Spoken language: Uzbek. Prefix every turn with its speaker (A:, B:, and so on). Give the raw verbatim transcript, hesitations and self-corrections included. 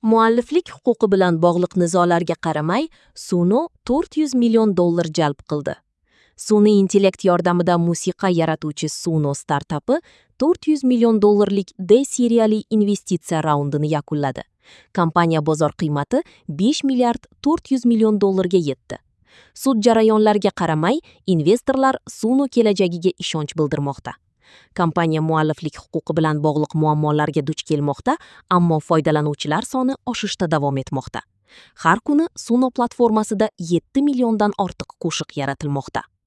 A: Mualliflik huquqi bilan bog'liq nizolarga qaramay, Suno to'rt yuz million dollar jalb qildi. Sun'iy intellekt yordamida musiqa yaratuvchi Suno startapi to'rt yuz million dollarlik D seriyali investitsiya raundini yakunladi. Kompaniya bozor qiymati besh milliard to'rt yuz million dollarga yetdi. Sud jarayonlariga qaramay, investorlar Suno kelajagiga ishonch bildirmoqda. Kompaniya mualliflik huquqi bilan bog'liq muammolarga duch kelmoqda, ammo foydalanuvchilar soni oshishda davom etmoqda. Har kuni Suno platformasida yetti milliondan ortiq qo'shiq yaratilmoqda.